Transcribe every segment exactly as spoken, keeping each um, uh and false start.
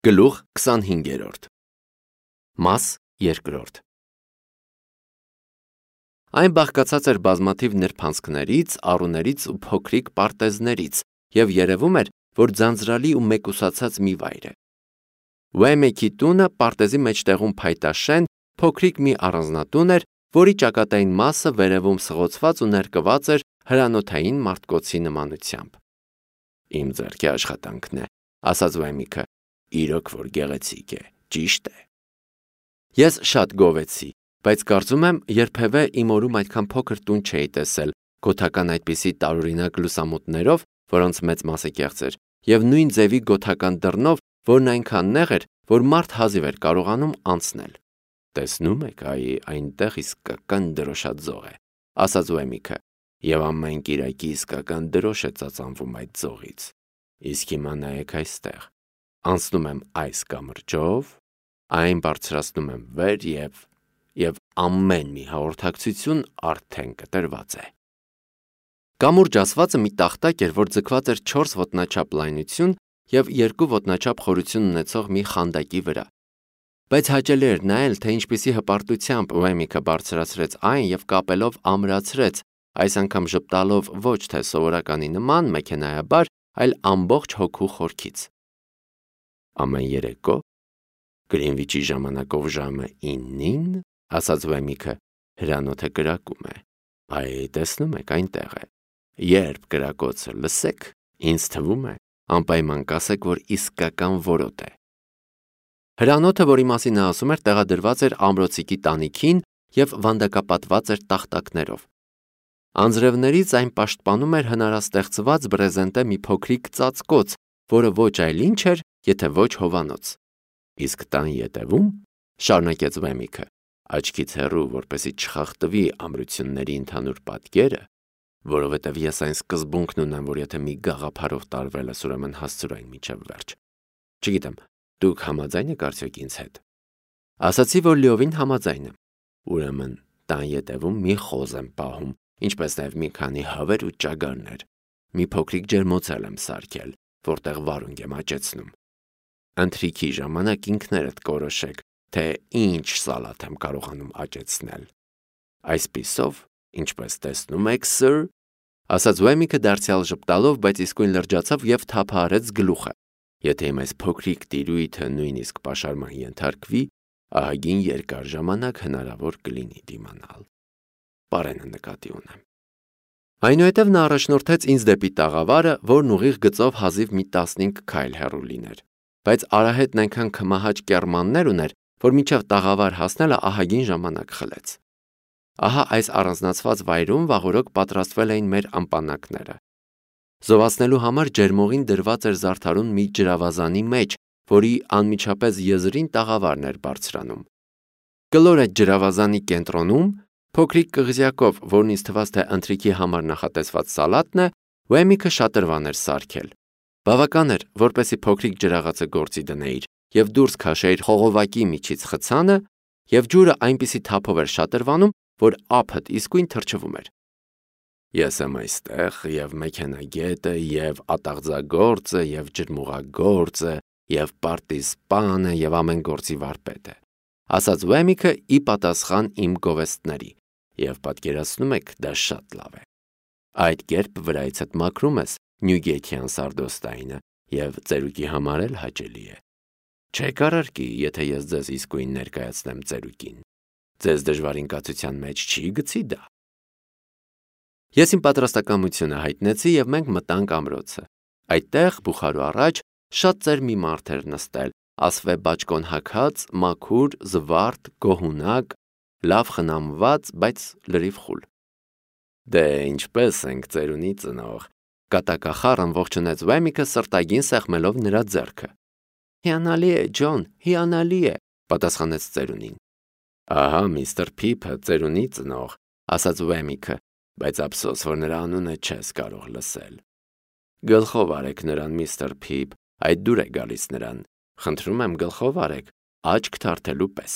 Գլուխ քսանհինգերորդ Մաս երկրորդ Այն բաղկացած էր բազմաթիվ նրբանցքներից, առուներից ու փոքրիկ պարտեզներից և երևում էր, որ ձանձրալի ու մեկուսացած մի վայր է։ Ուեմեքի տունը պարտեզի մեջտեղում փայտաշեն, փոքրիկ մի առանձնատուն էր, որի ճակատային մասը վերևում սղոցված ու ներկված էր հրանոթային մարտկոցի նմանությամբ։ Իմ ձեռքի աշխատանքն է, ասաց Ուեմիքը, իրոք որ գեղեցիկ է, ճիշտ է։ Ես շատ գովեցի, բայց կարծում եմ երբևէ իմ օրում այդքան փոքր տուն չէի տեսել, գոթական այդպիսի տարօրինակ լուսամուտներով, որոնց մեծ մասը կեղծ էր, և նույն ձևի գոթական դռնով, որն այնքան նեղ էր, որ մարդ հազիվ էր կարողանում անցնել։ Տեսնում եք, այ այնտեղ իսկական դրոշաձող է, ասաց Ուեմիքը, և ամեն կիրակի իսկական դրոշ է ծածանվում այդ ձողից։ Իսկ հիմա նայեք այստեղ, անցնում եմ այս կամրջով, այն բարձրացնում եմ վեր և, և ամեն մի հաղորդակցություն արդեն կտրված է։ Կամուրջ ասվածը մի տախտակ էր, որ ձգված էր չորս ոտնաչափ լայնություն և երկու ոտնաչափ խորություն ունեցող մի խանդակի վրա։ Բայց հաճելի էր նայել, թե ինչպիսի հպարտությամբ Ուեմիքը բարձրացրեց այն և կապելով ամրացրեց, այս անգամ ժպտալով ոչ թե սովորականի նման մեքենայաբար, այլ ամբողջ հոգու խորքից։ Ամեն երեկո Գրինվիչի ժամանակով ժամը իննին, ասաց Ուեմիքը, հրանոթը կրակում է։ Այ տեսնում եք, այնտեղ է։ Երբ կրակոցը լսեք, ինձ թվում է, անպայման կասեք, որ իսկական որոտ է։ Հրանոթը, որի մասին նա ասում էր, տեղադրված էր ամրոցիկի տանիքին և վանդակապատված էր տախտակներով։ Անձրևներից այն պաշտպանում էր հնարաստեղծված բրեզենտե մի փոքրիկ ծածկոց, որը ոչ այլ ինչ էր, եթե ոչ հովանոց։ Իսկ տան ետևում, շարունակեց Ուեմիքը, աչքից հեռու, որպեսզի չխախտվի ամրությունների ընդհանուր պատկերը, որովհետև ես այն սկզբունքն ունեմ, որ եթե մի գաղափարով տարվել ես, ուրեմն հասցրու այն մինչև վերջ։ Չգիտեմ, դուք համաձայն եք արդյոք ինձ հետ։ Ասացի, որ լիովին համաձայն եմ։ Ուրեմն տան ետևում մի խոզ եմ պահում, ինչպես նաև մի քանի հավեր ու ճագարներ։ Մի փոքրիկ ջերմոցել եմ սարքել, որտեղ վարունգ եմ աճեցնում։ Ընթրիքի ժամանակ ինքներդ կորոշեք, թե ինչ սալաթ եմ կարողանում աճեցնել։ Այսպիսով, ինչպես տեսնում եք, սըր, ասաց Ուեմիքը դարձյալ ժպտալով, բայց իսկույն լրջացավ և թափահարեց գլուխը։ Եթե իմ այս փոքրիկ տիրույթը նույնիսկ պաշարման ենթարկվի, ահագին երկար ժամանակ հնարավոր կլինի դիմանալ։ Պարենը նկատի ունեմ։ Այնուհետև նա առաջնորդեց ինձ դեպի տաղավարը, որն ուղիղ գծով հազիվ մի տասնհինգ քայլ հեռու լիներ, բայց արահետն այնքան քմահաճ կեռմաններ ուներ, որ մինչև տաղավար հասնելը ահագին ժամանակ խլեց։ Ահա այս առանձնացված վայրում վաղօրոք պատրաստվել էին մեր ամպանակները։ Զովացնելու համար ջերմողին դրված էր զարդարուն մի ջրավազանի մեջ, որի անմիջապես եզրին տաղավարն էր բարձրանում։ Կլոր այդ ջրավազանի կենտրոնում, փոքրիկ կղզյակով, որն ինձ թվաց, թե ընթրիքի համար նախատեսված սալատն է, Ուեմիքը շատրվան էր սարքել։ Բավական էր, որպեսզի փոքրիկ ջրաղացը գործի դնեիր և դուրս քաշեիր խողովակի միջից խցանը, և ջուրը այնպիսի թափով էր շատրվանում, որ ափդ իսկույն թրջվում էր։ Ես եմ այստեղ և մեքենագետը, և ատաղձագործը, և ջրմուղագործը, և պարտիզպանը, և ամեն գործի վարպետը, ասաց Ուեմիքը ի պատասխան իմ գովեստների, և պատկերացնում եք, դա շատ լավ է։ Այդ կերպ վրայիցդ մաքրում ես Նյուգեյթյան սարդոստայնը և ծերուկի համար էլ հաճելի է։ Չեք առարկի, եթե ես ձեզ իսկույն ներկայացնեմ ծերուկին։ Ձեզ դժվարին կացության մեջ չի գցի դա։ Ես իմ պատրաստակամությունը հայտնեցի և մենք մտանք ամրոցը։ Այդտեղ, բուխարու առաջ, շատ ծեր մի մարդ էր նստել, ասվե բաճկոն հագած, մաքուր, զվարթ, գոհունակ, լավ խնամված, բայց լրիվ խուլ։ Դե ինչպես ենք, ծերունի ծնող, կատակախառն ողջունեց Ուեմիքը սրտագին սեղմելով նրա ձեռքը։ Հիանալի է, Ջոն, հիանալի է, պատասխանեց ծերունին։ Ահա միստր Փիփը, ծերունի ծնող, ասաց Ուեմիքը, բայց ափսոս, որ նրա անունը չես կարող լսել։ Գլխով արեք նրան, միստր Փիփ, այդ դուր է գալիս նրան։ Խնդրում եմ, գլխով արեք, աչք թարթելու պես։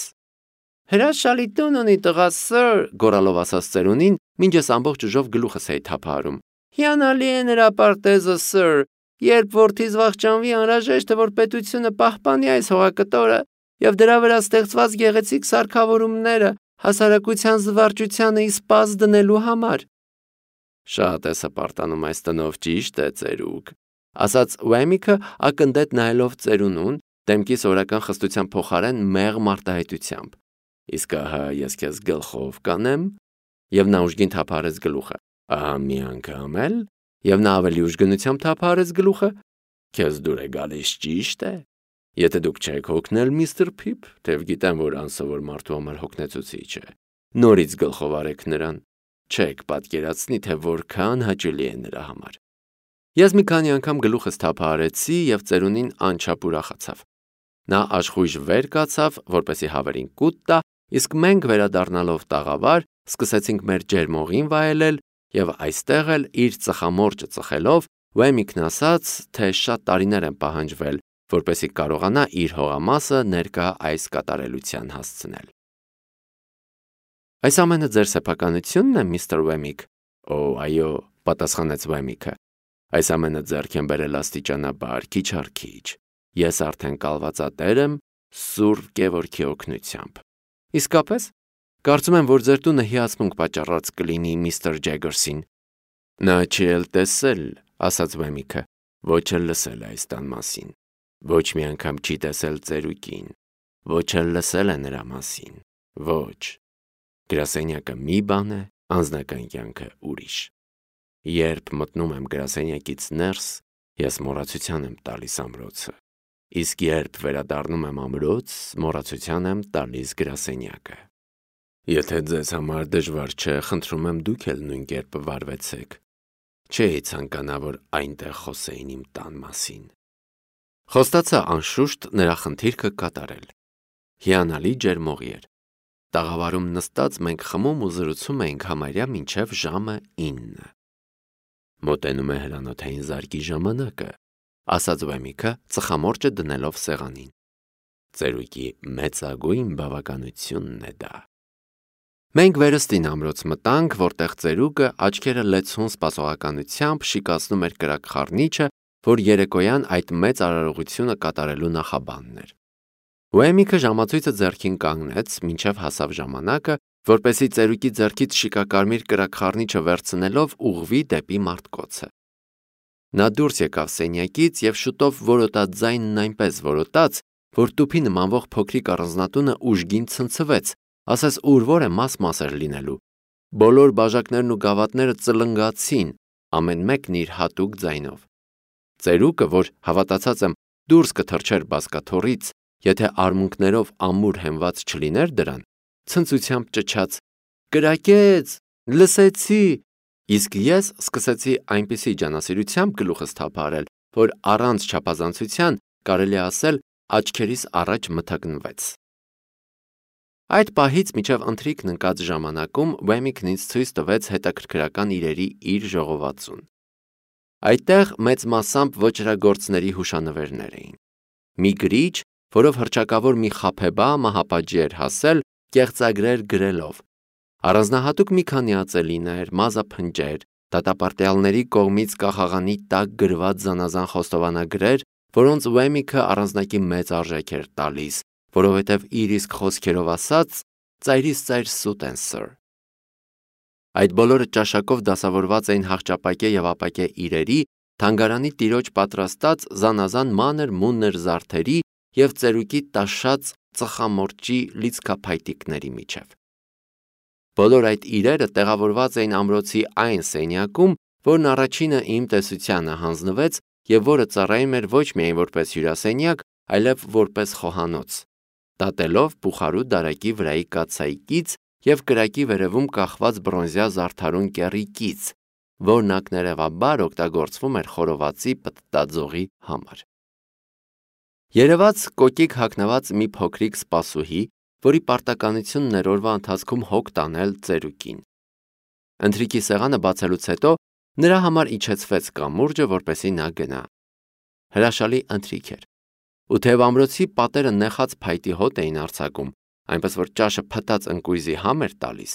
Հրաշալի տուն ունի տղա, սըր, գոռալով ասաց ծերունին, մինչ ես ամբողջ ուժով գլուխս էի թափահարում։ Հիանալի է նրա պարտեզը, սըր, Երբ որդիս վախճանվի, անհրաժեշտ է, որ պետությունը պահպանի այս հողակտորը եւ դրա վրա ստեղծված գեղեցիկ սարքավորումները հասարակության զվարճությանը իսպաս դնելու համար։ Շատ է սպարտանում այս տնով, ճիշտ է, ծերուկ, ասաց Ուեմիկը ակնդետ նայելով ծերունուն, դեմքի սորական խստության փոխարեն մեղմ արտահայտությամբ։ Իսկ ահա ես քեզ գլխով կանեմ, եւ նա ուժգին թափարեց գլուխը։ Ահա մի անգամ էլ, եւ նա ավելի ուժգնությամբ թափարեց գլուխը։ Քեզ դուր է գալիս, ճիշտ է։ Եթե դուք չեք հոգնել, միստր Փիփ, թեև գիտեմ, որ անսովոր մարդու համար հոգնեցուցիչ է, նորից գլխով արեք նրան, չեք պատկերացնի, թե որքան հաճելի է նրա համար։ Ես մի քանի անգամ գլուխս թափահարեցի եւ ծերունին անչափ ուրախացավ։ Նա աշխույժ վեր կացավ, որպեսի հավերին կուտ տա, իսկ մենք վերադառնալով տաղավար սկսեցինք մեր ջերմողին վայելել եւ այստեղ էլ իր ծխամորճը ծխելով Ուեմիկն ասաց, թե շատ տարիներ են պահանջվել, որպեսի կարողանա իր հողամասը ներկա այս կատարելության հասցնել։ Այս ամենը ձեր սեփականությունն է, միստր Ուեմիկ։ Օ, այո, պատասխանեց Ուեմիկը։ Այս ամենը ձեռք եմ բերել աստիճանաբար, քիչ առ քիչ։ Ես արդեն կալվածատեր եմ Սուրբ Գևորգի օգնությամբ։ Իսկապես, կարծում եմ, որ ձեր տունը հիացմունք պատճառած կլինի միստր Ջեգերսին։ Նա չի էլ տեսել, ասաց Ուեմիկը, ոչ էլ լսել այս տան մասին։ Ոչ մի անգամ չի տեսել ծերուկին, ոչ էլ լսել է նրա մասին։ Ոչ։ Գրասենյակը մի բան է, անձնական կյանքը ուրիշ։ Երբ մտնում եմ գրասենյակից ներս, ես մոռացության եմ տալիս ամրոցը, իսկ երբ վերադառնում եմ ամրոց, մոռացության եմ տալիս գրասենյակը։ Եթե ձեզ համար դժվար չէ, խնդրում եմ դուք էլ նույն կերպ վարվեցեք։ Չէի ցանկանա, որ այնտեղ խոսեին իմ տան մասին։ Խոստացա անշուշտ նրա խնդիրքը կատարել։ Հիանալի ջերմողի էր։ Տաղավարում նստած մենք խմում ու զրուցում էինք համարյա մինչև ժամը ինը։ Մոտենում է հրանոթային զարկի ժամանակը, ասաց Ուեմիկը, ծխամորճը դնելով սեղանին։ Ծերուկի մեծագույն բավականությունն է դա։ Մենք վերստին ամրոց մտանք, որտեղ ծերուկը աչքերը լեցուն սպասողականությամբ շիկացնում էր կրակ խառնիչը, որ երեկոյան այդ մեծ արարողությունը կատարելու նախաբանն էր։ Ուեմիկը ժամացույցը ձեռքին կանգնեց, մինչև հասավ ժամանակը, որպեսզի ծերուկի ձեռքից շիկակարմիր կրակ խառնիչը վերցնելով ուղղվի դեպի մարտկոցը։ Նա դուրս եկավ սենյակից եւ շուտով որոտած ձայնն այնպես որոտաց, որ տուփի նմանվող փոքրիկ առանձնատունը ուժգին ցնցվեց, ասես ուրվոր է մաս-մաս էր լինելու։ Բոլոր բաժակներն ու գավաթները ծլնգացին, ամեն մեկն իր հատուկ ձայնով։ Ծերուկը, որ հավատացած եմ դուրս կթռչեր բազկաթոռից, եթե արմունկներով ամուր հենված չլիներ դրան, ցնծությամբ ճչաց. «Կրակեց, լսեցի», իսկ ես սկսեցի այնպիսի ջանասիրությամբ գլուխս թափահարել, որ առանց չափազանցության կարելի է ասել աչքերիս առաջ մթագնվեց։ Այդ պահից մինչև ընթրիքն ընկած ժամանակում Ուեմիկն ինձ ցույց տվեց հետաքրքրական իրերի իր ժողովածուն։ Այդտեղ մեծ մասամբ ոճրագործների հուշանվերներ էին։ Մի գրիչ, որով հռչակավոր մի խաբեբա մահապատժի էր հասել, կեղծագրեր գրելով։ Առանձնահատուկ մի քանի ածելիներ, մազափնջեր, դատապարտյալների կողմից կախաղանի տակ գրված զանազան խոստովանագրեր, որոնց Ուեմիկը առանձնակի մեծ արժեք էր տալիս, որովհետև իր իսկ խոսքերով ասած, ծայրից ծայր սուտ են սըր։ Այդ բոլորը ճաշակով դասավորված էին հաղճապակե եւ ապակե իրերի, թանգարանի տիրոջ պատրաստած զանազան մանր մուններ զարդերի եւ ծերուկի տաշած ծխամորճի լիցքափայտիկների միջև։ Բոլոր այդ իրերը տեղավորված էին ամրոցի այն սենյակում, որն առաջինը իմ տեսությանը հանձնվեց եւ որը ծառայում էր ոչ միայն որպես հյուրասենյակ, այլև որպես խոհանոց, դատելով Բուխարու դարակի վրայի կաթսայիկից եւ կրակի վերևում կախված բրոնզյա զարդարուն կեռիկից, որն ակներևաբար օգտագործվում էր խորովածի պտտաձողի համար։ Երևաց կոկիկ հագնված մի փոքրիկ սպասուհի, որի պարտականությունն էր օրվա ընթացքում հոգ տանել ծերուկին։ Ընթրիքի սեղանը բացելուց հետո նրա համար իջեցվեց կամուրջը, որպեսզի նա գնա։ Հրաշալի ընթրիք էր։ Ու թեև ամրոցի պատերը նեխած փայտի հոտ էին արձակում, այնպես որ ճաշը փտած ընկույզի համ էր տալիս,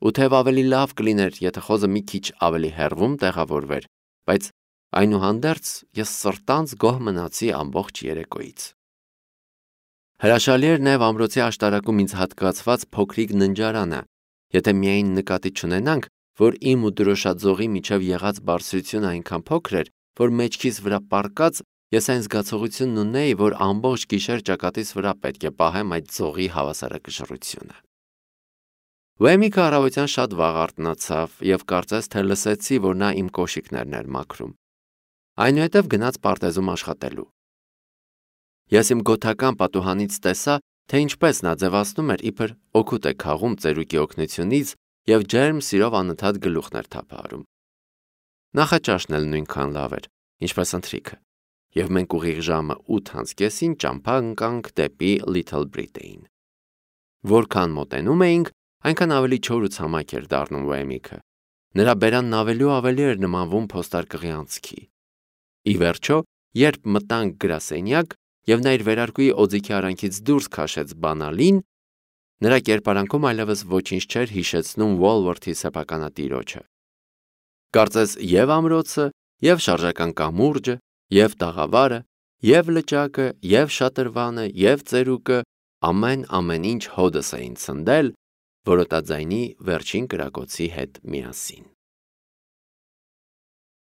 ու թեև ավելի լավ կլիներ, եթե խոզը մի քիչ ավելի հեռվում տեղավորվեր, բայց Այնուհանդերձ ես սրտանց գոհ մնացի ամբողջ երեկոյից։ Հրաշալի էր նաև ամրոցի աշտարակում ինձ հատկացված փոքրիկ ննջարանը, եթե միայն նկատի չունենանք, որ իմ ու դրոշաձողի միջև եղած բարձրությունը այնքան փոքր էր, որ մեջքիս վրա պառկած ես այն զգացողությունն ունեի, որ ամբողջ գիշեր ճակատիս վրա պետք է պահեմ այդ ձողի հավասարակշռությունը։ Ուեմիկը առավոտյան շատ վաղ արթնացավ և կարծես թե լսեցի, որ նա իմ կոշիկներն էր մաքրում։ Այնուհետև գնաց պարտեզում աշխատելու։ Ես իմ գոթական պատուհանից տեսա, թե ինչպես նա ձևացնում էր, իբր օգուտ է քաղում ծերուկի օգնությունից և ջերմ սիրով անընդհատ գլուխներ թափահարում։ Նախաճաշն էլ նույնքան լավ էր, ինչպես ընթրիքը, և մենք ուղիղ ժամը ութ անց կեսին ճամփա ընկանք դեպի Little Britain։ Որքան մոտենում էինք, այնքան ավելի չոր ու ցամաք էր դառնում Ուեմիկը։ Նրա բերանն ավելի ու ավելի էր նմանվում փոստարկղի անցքի։ Ի վերջո, երբ մտանք գրասենյակ, և նա իր վերարկուի օձիքի արանքից դուրս քաշեց բանալին, նրա կերպարանքում այլևս ոչինչ չէր հիշեցնում Ուոլվորթի սեփականատիրոջը։ Կարծես և ամրոցը, և շարժական կամուրջը, և տաղավարը, և լճակը, և շատրվանը, և ծերուկը ամեն-ամեն ինչ հօդս էին ցնդել որոտաձայնի վերջին կրակոցի հետ միասին։